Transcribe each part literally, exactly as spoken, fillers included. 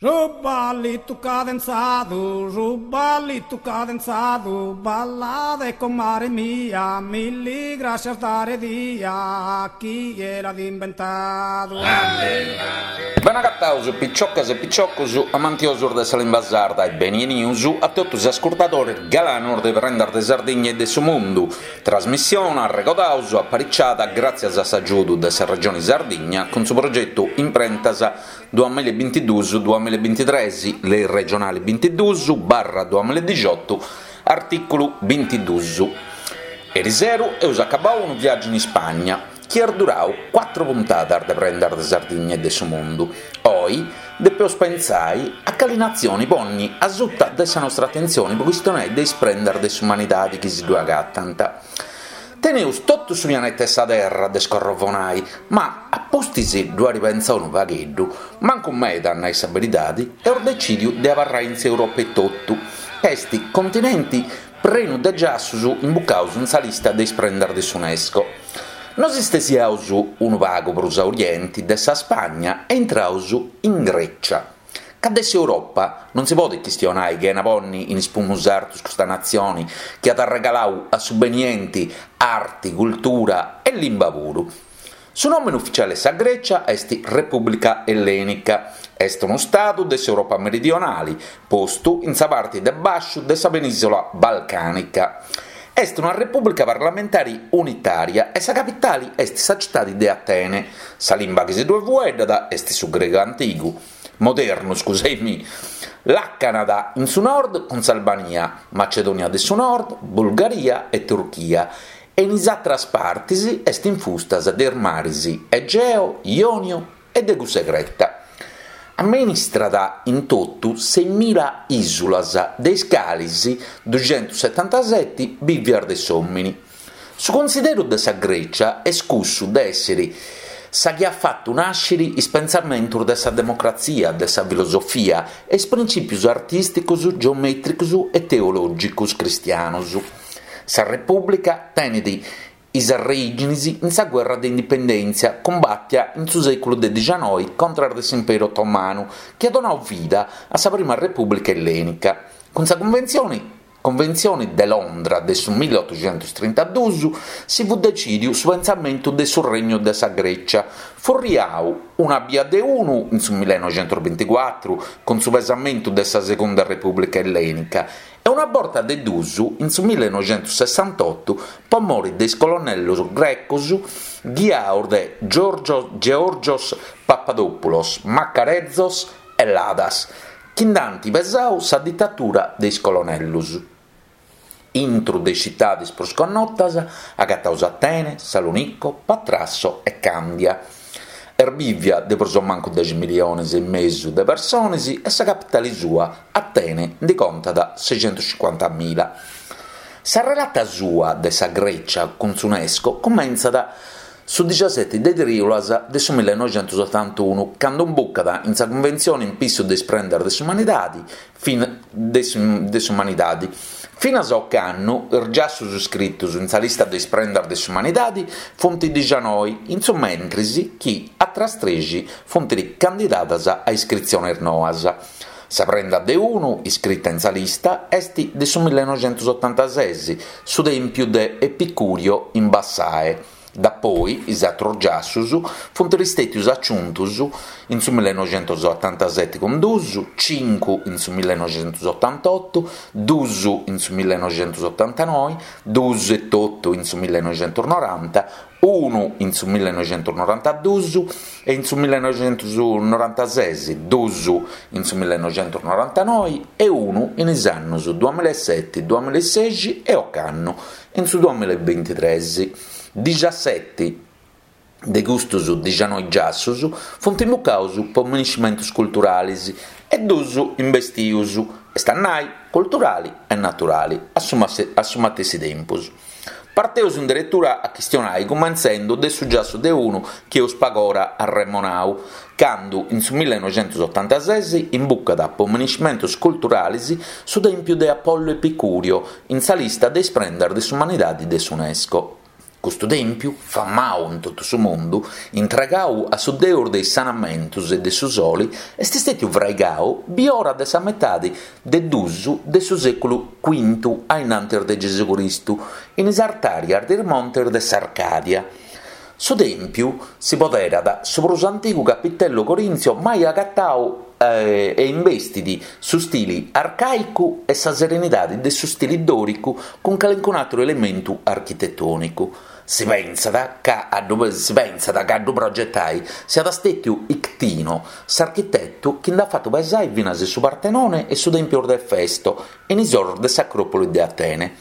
Su ballitu cadenzadu, su ballitu cadenzadu, ballade comare mia, milli grascias dare dia, chie l'at imbentadu. Benagataus piciocas e piciocus amantiosus de sa limba sarda e beni 'enius a totus is ascurtadores galanos de Prendas de Sardigna e de su Mundu, trasmissione, arregodaus, apariciada gràtzias a s'agiudu de sa Regione Sardigna cun su progetu Imprentas duamilla e bintiduus duamilla e bintitres, Lei regionali bintiduus barra duamilla e dixiotu, artìculu bintiduus. Eriseru eus acabau unu viàgiu in Ispagna, chi est durau cuatru puntadas de Prendas de Sardigna e de su Mundu. Oi depeus pentzai a cali natzioni ponni asuta de sa nostra atentzioni po chistionai de is prendas de s'umanidadi chi si ddue agatant. Teneus totu su pianeta 'e sa Terra de scorrovonai, ma a pustis ddu airi pentzau unu pagheddu, mancu meda a nai sa beridadi, eus decìdiu de abarrai in s'Europa etotu, ca est continenti prenu de giassus imbucaus in sa lista de is prendas de s'Unesco. Nos istesiaus unu pagu prus a orienti de sa Spagna e intraus in Grècia. Ca de s'Europa non si podit chistionai chena ponni in is pumus artus custa natzioni chi at arregalau a su benienti arti, cultura e limba puru. Su nòmene ufitziale 'e sa Grècia est Repùblica Ellènica. Est unu stadu de s'Europa meridionali, postu in sa parti de bàsciu de sa penìsula balcànica. Est una repùblica parlamentari unitària e sa capitali est sa citadi de Atene. Sa limba chi si ddue fueddat est su gregu antigu, modernu, scusei-mi. Làcanat in su nord cun s'Albania, Macedònia de su Nord, Bulgaria e Turchia e in is àteras partis est infusta de is maris Egeo, Ionio e de cussa 'e Creta. Amministrat in totu seimila ìsulas, de is calis duxentussetantaseti bìvias de s'òmini. Su cunsideru de sa Grècia est cussu de èssiri sa chi at fatu nàsciri is pentzamentus de sa democratzia, de sa filosofia e is printzìpius artìsticus, geomètricus e teològicus cristianus. Sa Repùblica tenet is arrèiginis in sa guerra de indipendèntzia cumbàtia in su sèculu de dixanoi contras de s'Imperu Otomanu chi at donau vida a sa prima Repùblica Ellènica. Cun sa cunventzioni Conventzioni de Londra de su milliotoxentus-trintaduus si fut decìdiu su pentzamentu de su Regnu de sa Grècia, furriau una bia de unu in su millenoxentus-binticuatru cun su pesamentu de sa Segunda Repùblica Ellènica e una borta de duus in su millenoxentus-sessantotu po mori de is colonnellos grecos ghiaos de Georgios Papadopoulos, Makarezos e Ladas, chi nd'ant pesau sa ditatura de is colonellos. Intru de is citadis prus connotas agataus Atene, Salonicco, Patrasso e Càndia. Est bìvia de prus o mancu dexi milliones e mesu de persones e sa capitale sua, Atene, nde contat sescentuscincuantamila. Sa relata sua de sa Grècia cun s'Unesco cumentzat su dixaseti de trìulas de su millenoxentusotantunu, cando imbucat in sa Cunventzione in pissu de is prendas de s'umanidade de s'umanidade. Finas a ocannu is giassos iscritos in sa lista de is prendas de s'umanidade funt dixanoi, in su mentris chi atras trexi funt candidadas a iscritziones noas. Sa prenda de unu iscrita in sa lista est de su millenoxentusotantases, su tèmpiu de Epicurio in Bassae. Dapoi is atrus giassus funt istètius aciuntus in su millenoxentusotantaseti cun dus, cincu in su millenoxentusotantotu, dus in su millenoxentusotantanoi, dus etotu in su millenoxentusnoranta, unu in su millenoxentusnorantadus e in su millenoxentusnorantases, dus in su millenoxentusnorantanoi e unu in is annus duamilla e seti, duamilla e sexi e ocannu in su duamilla e bintitres. Dixaseti de custus dixanoi giassus funt imbucaus po miniscimentus culturalis e dus imbestius, est a nai culturali e naturali a su matessi tempus. Parteus in deretura a chistionai cumentzendu de su giassu de unu chi eus pagora arremonau, candu in su millenoxentusotantases imbucat po miniscimentus culturalis su tèmpiu de Apollo Epicurio in sa lista de is prendas de s'umanidade de s'Unesco. Custu tèmpiu, famau in totu su mundu, intregau a su deus de is sanamentus e de su soli, est stètiu fraigau biora de sa metadi de duus de su sèculu cuintu a innantis de Gesugristu, in is artàrias de is montes de s'Arcàdia. Su tèmpiu si poderat su prus antigu capitello corinzio mai agatau e imbestit su stili arcàicu e sa serenidade de su stili dòricu cun calincun'àteru elementu architetònicu. Si pensat ca a ddu si pensat ca a ddu progetai siat stètiu Ictino, s'architetu chi nd'at fatu pesai finas su Partenone e su Tèmpiu de Efesto in is orus de s'Acròpoli de Atene.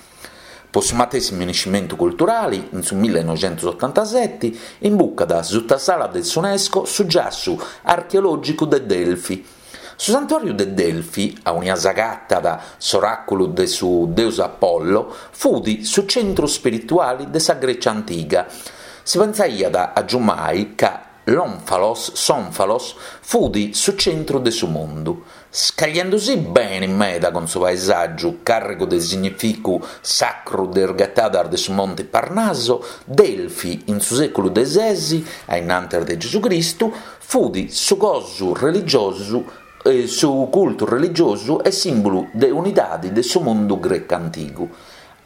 Po su matessi miniscimentu culturale, in su millenoixentosotantaseti, imbucat sutta s'ala de s'UNESCO su giassu archeològicu de Delfi. Su santuàriu de Delfi, aunia s'agatat s'oràculu de su deus Apollo, fut su centru spirituale de sa Grecia antiga. Si pensaiat agiumai ca l'Onfalos, s'Onfalos, fut su centru de su mundu. Scagliendosì bene meda cun su paesàgiu càrrigu de significu sacru de is ghetadas de su Monte Parnaso, Delfi, in su sèculu de sesi, a innantis de Gesugristu, fut su cosu religiosu, eh, su cultu religiosu e sìmbulu de unidade de su mundu grecu antigu.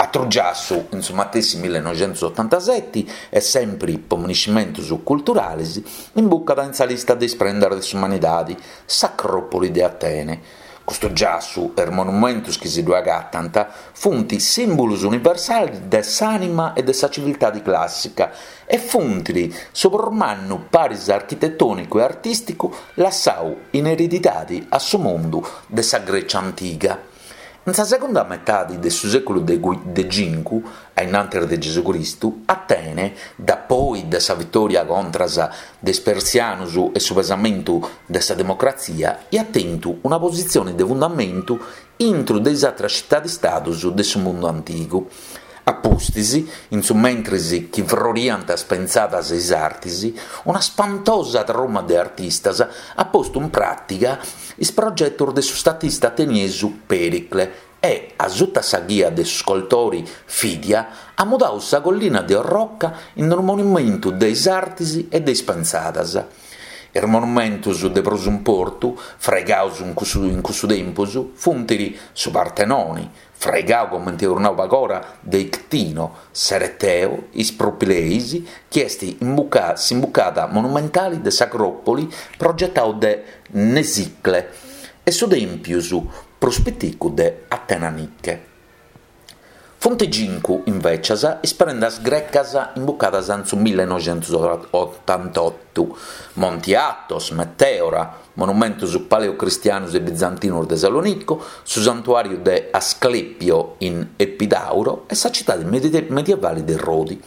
Atru giassu, in su matessi millenoixentosotantaseti, e sempre po miniscimentos culturales, imbucat in sa lista de is prendas de s'umanidade, s'Acròpoli de Atene. Custu giassu e is monumentos chi si ddu agatant funt sìmbulos universales de s'ànima e de sa civiltade clàssica e funt su prus mannu paris architetònicu e artìsticu lassau in eredidade a su mundu de sa Grecia antiga. In sa segunda metade de su sèculu de cincu, a innantis de Gesugristu, Atene, da poi de sa vitòria contra de is persianos e su pesamentu de sa democratzia, iat tentu una positzione de fundamentu intro de is atras citades-stados de su mundu antigu. A pustis, in su mentris chi froriant is pensadas e is artis, una spantosa truma de artistas at postu in pràtica is progetos de su statista ateniesu Pericle e, a sutta sa ghia de su scoltori Fidia, at mudau sa collina de orroca in unu monumentu de is artis e de is pensadas. Is monumentos de prus importu, fraigaus in cussu, in cussu tempus, funt su Partenone, fraigau comente eus nau pagora de Ictino, s'Ereteo, is Propileis, chi est imbuca, s'imbucada monumentale de s'Acròpoli progetau de Mnesicle, e su Tèmpius prus piticu de Atena Nike. Funt cincu, invecias, is prendas grecas imbucadas in su millenoixentootantottu: Monti Athos, Meteora, monumentos paleocristianos e bizantinos de Salonicco, su santuàriu de Asclepio in Epidauro e sa citade medievale de Rodi.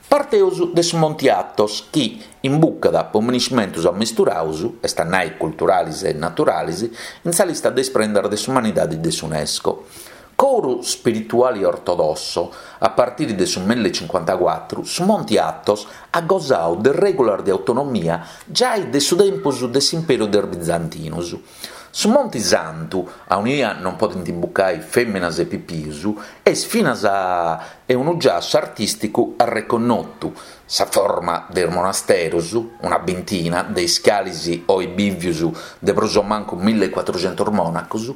Parteus de su Monti Athos, chi imbucat po miniscimentos ammisturaus, est a nai culturales e naturales, in sa lista de is prendas de s'umanidade de s'UNESCO. Coru spirituale ortodosso, a partire de su millecincuantacuatru, su Monti Athos at gosau de règulas de autonomia giai de su tempus de s'Imperu de is Bizantinos. Su Monti Santu, aunia non podent imbucai fèminas e pipius, est finas a unu giassu artìsticu arreconnotu. Sa forma de is monasteros, una bintina, de is cales oi bivius de prus o mancu millecuatrucentos mònacos,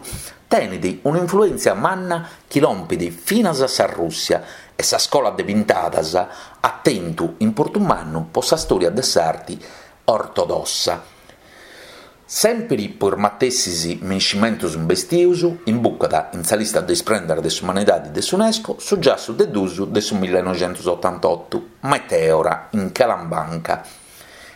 tenet un'influèntzia manna chi lompet finas a sa Rùssia e sa scola de pintadas at tentu importu mannu po sa stòria de s'arte ortodossa. Sempre po is matessis miniscimentos imbestius, imbucat in sa lista de is prendas de s'umanidade de s'UNESCO su giassu de duus de su millenoixentootantottu, Meteora, in Calambanca.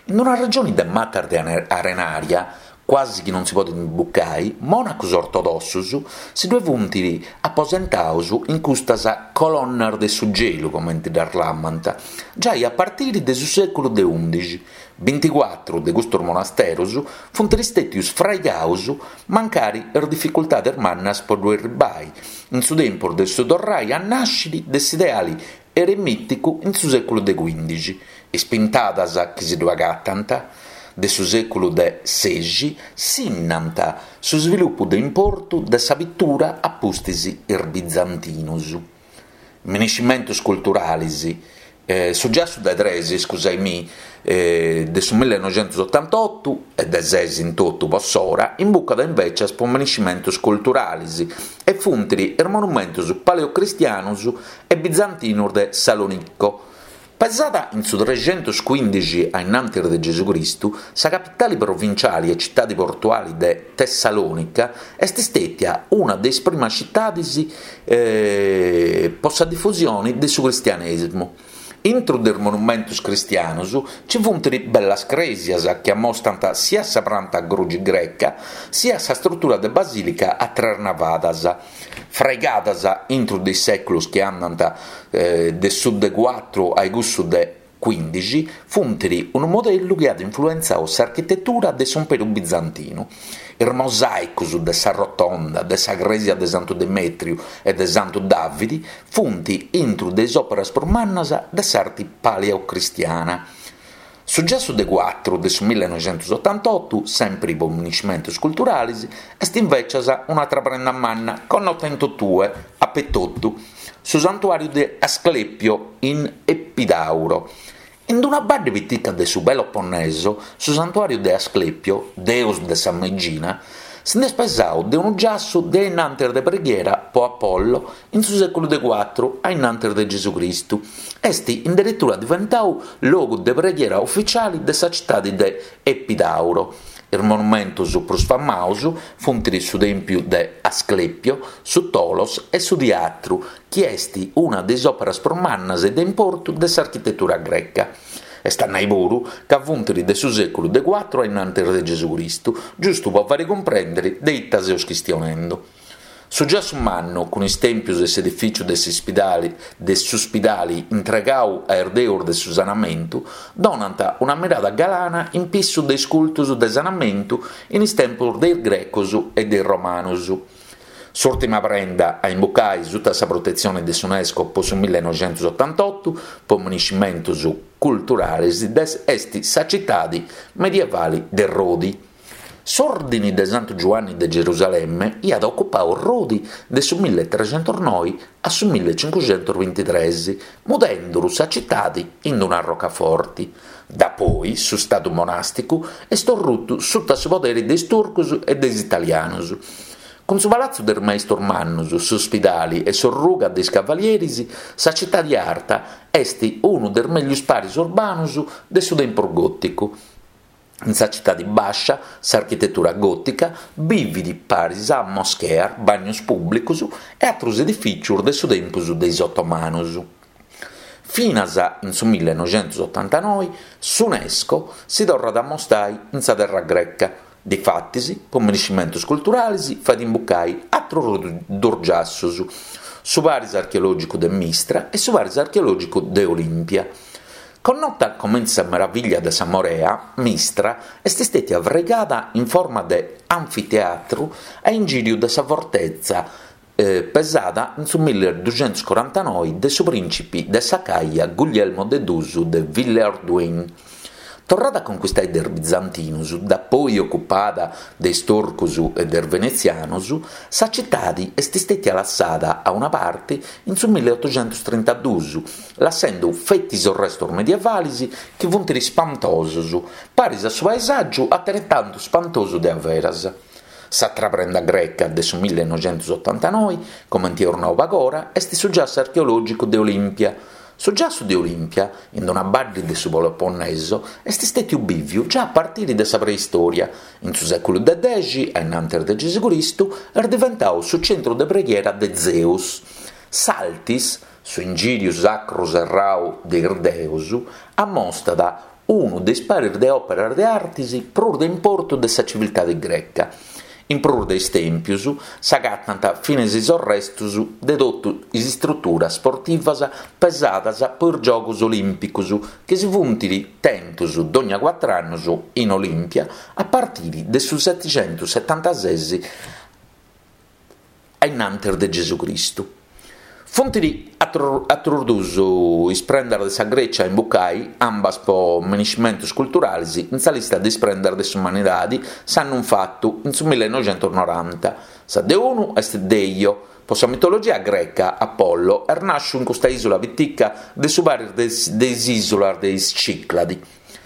In una regione de matas de arenaria, quasi chi non si podet imbucai, mònacos ortodossos si ddue funt aposentaus in custas colonnas de su gelu, comente ddas lamant, giai a partire de su sèculu de undixi. Binticuatru de custos monasteros funt istètius fraigaus mancari is dificultades mannas po ddu erribai, in su tempus de su torrai a nàscere de s'ideale eremìticu in su sèculu de cuindixi. Is pintadas chi si ddu agatant de su sèculu de sexi sinnant su svilupu de importu de sa pittura a pustis is bizantinos. Miniscimentos culturales Eh, su giassu de tres, scusaimì, eh, de su millenoixentusotantottu e de ses in totu po s'ora, imbucat invecias po miniscimentus culturalis e funt is monumentus paleocristianus e bizantinus de Salonicco. Pesada in su trexentuscuindixi a innantis de Gesù Cristu, sa capitali provinciali e citadi portuali de Tessalonica est stètia una de is primas citadis eh, po sa difusioni de su cristianesimu. Intru de is monumentus cristianus ci funt bellas crèsias chi ammostant sia sa pranta a grugi greca sia sa struttura de basilica a tres navadas, fraigadas intru de is sèculos chi andant eh, de su de cuatru a cussu de cuindixi, funt unu modellu chi at influentzau s'architetura de s'Imperu Bizantinu. Is mosàicus de sa Rotonda, de sa crèsia de Santu Demetriu e de Santu Davidi funt intru de is òperas prus mannas de s'arti paleocristiana. Su giassu de cuatru de su millenoixentusotantottu, sempri po miniscimentus culturalis, est invecias un'atra prenda manna connota in totue, apetotu, su santuàriu de Asclepio in Epidauro. In una badde pitica de su Peloponneso, su santuàriu de Asclepio, deus de sa meigina, si nd'est pesau de unu giassu de innantis de preghiera po Apollo in su sèculu de cuatru a innantis de Gesù Cristu. Est in deretura diventau logu de preghiera ufficiali de sa citade de Epidauro. Is monumentus prus famaus funt su Tèmpiu de Asclepio, su Tholos e su Teatru, chi est una de is òperas prus mannas e de importu de s'architetura greca. Est a nai puru ca funt de su sèculu de cuatru a innantis de Gesù Cristu, giustu po fari cumprèndere de ita seus chistionendu. Su giassu mannu, cun is tèmpios e s'edifìciu de s'ispidali de s'uspidali intregau a is deus de su sanamentu, donant una mirada galana in pissu de is cultus de sanamentu in is tempos de is grecos e de is romanos. S'ùrtima prenda a imbucai sutta sa protetzione de s'UNESCO po su millenoixentusotantottu po miniscimentus culturales est sa citade medievale de Rodi. S'Ordine de Santu Giuanni de Gerusalemme iat ocupau Rodi de su milletrecentusnoi a su millecincuxentusbintitrès, mudenduru sa citade in una roccaforti. Da poi su stadu monasticu est orrutu sutta su podere de is turcos e de is italianos. Cun su Palazzo de is Maistus Mannus, s'Ospidali e s'Orruga de is Cavalieris, sa citade arta est unu de is meglius paris urbanus de su tempus gòticu. In sa citade bàscia, s'architetura gòtica bivit paris a moscheas, bagnos pùblicos e àteros edifìcios de su tempus de is otomanos. Finas in su millenoixentusotantanoe s'UNESCO si torrat a mostrai in sa terra greca. Difatis, po miniscimentus culturales, fait imbucai àteros dos giassos, su paris archeològicu de Mistra e su paris archeològicu de Olimpia. Connota comente sa meraviglia de sa Morea, Mistra est stètia fraigada in forma de anfiteatru a ingìriu de sa fortezza eh, pesada in su milleduxentuscorantanoe de su prìncipi de s'Acaia Guglielmo de Dusu de Villehardouin. Torrada a conquistai de is bizantinus, da poi ocupada de is turcos e de is venezianos, sa citade est stètia lassada a una parte in su milleottoxentustrintadus, lassendo feti is restos medievales chi funt spantosos, paris a su paesàgiu ateretantu spantosu de averas. S'atra prenda greca de su millenoixentusotantanoe, comente eus nau pagora, est su giassu archeològicu de Olimpia. Su giassu de Olimpia, in una badde de su Peloponneso, est stètiu bìviu già a partire de sa preistoria. In su sèculu de dexi, a innantis de Gesù Cristu, est diventau su centru de preghiera de Zeus. S'Altis, su ingìriu sacru serrau de is deus, ammostat unu de is paris de òperas de artis prus de importu de sa civiltade greca. In prus de is tèmpios s'agatant finas is restos de totu is istruturas sportivas pesadas po is Giogos Olìmpicos chi si funt tentos dogna cuatru annos in Olimpia a partire de su setixentussetantases a innantis de Gesù Cristu. Funt atrus duus is prendas de sa Grècia a imbucai, ambas po minescimentus culturalis, in sa lista de is prendas de s'umanidadi s'annu infatu, in su millenoixentusnoranta. Sa de unu est Deio. Po sa mitologia greca, Apollo est nàsciu in custa ìsula pitica de su paris de is ìsulas de is Cìcladi.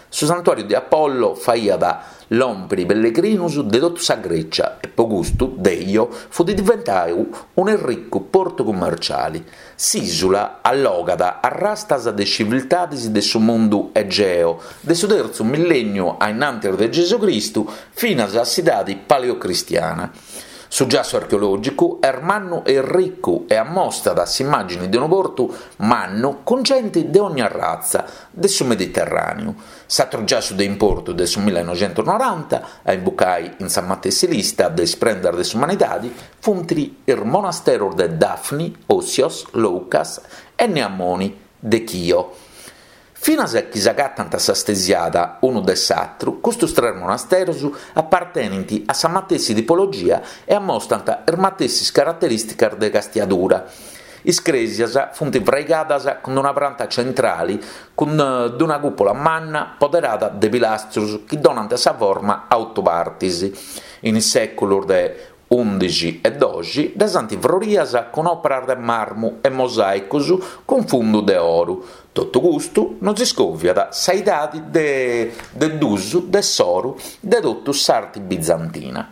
Su santuàriu de Apollo faiat lòmpiri pellegrinus de totu sa Grècia e po custu Deio fut diventau un'erricu portu cummerciale. S'ìsula allogat arrastas de civiltades de su mundu egeo de su tertzu millènniu a innantis de Gesù Cristu finas a s'idade paleocristiana. Su giassu archeològicu est mannu e ricu e ammostat s'immàgine de unu portu mannu cun gente de ogna ratza de su Mediterràneu. S'atru giassu de importu de su millenoixentusnoranta, a imbucai in sa matessi lista de is prendas de s'umanidade, funt is monasteros de Dafni, Ossios, Loucas e Nea Moni de Chio. Finas chi s'agatant a sa stesiada unu de s'atru, custos tres monasteros apartenint a sa matessi tipologia e ammostant is matessis caraterìsticas de castiadura. Is crèsias funt fraigadas cun una pranta centrale cun una cùpula manna poderada de pilastros chi donant sa forma a oto partes. In is sèculos de ùndixi e doxi ddas ant frorias cun òperas de marmu e mosàicos cun fundu de oro. Totu custu nos iscòviat sa idade de, de dusu de s'oro de totu s'arte bizantina.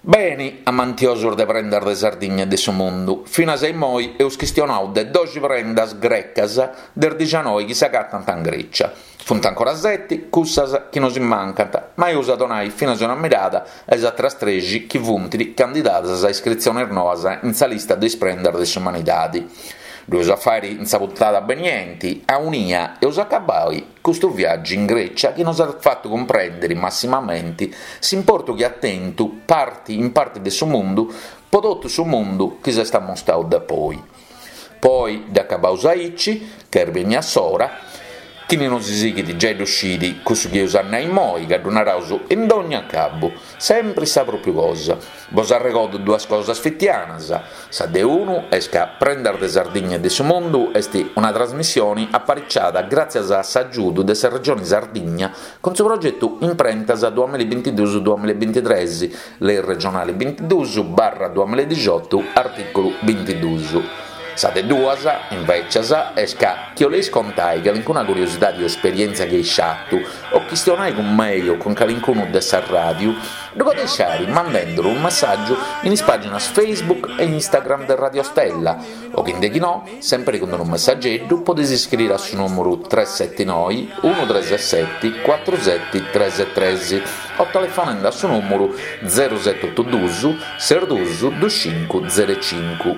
Beni, amantiosos de prendas de Sardigna e de su mundu, finas a immoi eus chistionau de doxi prendas grecas de is dicianoi chi s'agatant in Grecia. Funt ancora seti cussas chi nos mancant, ma eus a donai finas una mirada a is atras trexi chi funt candidadas a iscritziones noas in sa lista de is prendas de s'umanidade. Ddu eus a fàere in sa puntada benienti, aunia eus acabai custu viàgiu in Grecia chi nos at fatu cumprèndere massimamente s'importu chi at tentu parti in parte de su mundu po totu su mundu chi s'est ammostadu da poi. Poi dd'acabaus aici, ca est benia s'ora, chini nos sighit giai ddu scit cussu chi eus a nai immoi, ca ddu naraus in dogna acabu, sempri sa pròpiu cosa. Bos arregodo duas cosas fitianas. Sa de unu est ca Prendas de Sardigna e de su Mundu est una trasmissione apariciada gràtzias a s'agiudu de sa Regione Sardigna cun su progetu Imprentas duamillabintiduus duamillabintitres, Lei regionale bintiduus barra duamilladixotu, artìculu bintiduus. Sa de duas, invècias, est ca chi 'oleis contai calincuna curiosidade o esperièntzia chi eis fatu, o chistionai cun mei o cun calincunu de sa ràdiu, ddu podeis fàere mandenduru unu messàgiu in is pàginas Facebook e Instagram de Radio Stella, o chi nde chi no, sempri cun unu messageddu, podeis iscriere a su nùmeru tres seti noi unu tres seti cuatru seti tres tres o telefonende a su nùmeru zero seti otu duus ses duus dus cincu zero cincu.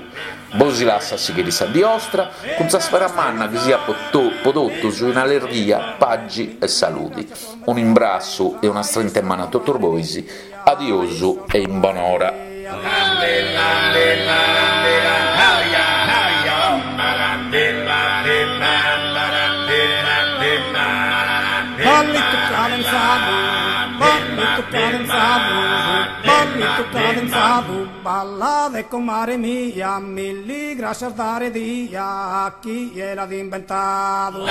Bos lasso a sighire sa die 'ostra cun sa spera manna chi siat po, to, po totus in allerghia, pagi e saludi. Un imbrassu e una strinta 'e manu a totus bois. Adiosu e in bonora. Ballittu cadenzadu, ballittu cadenzadu, ballittu cadenzadu, ballade comare mia, milli grascias dare dia a chie l'at inventadu.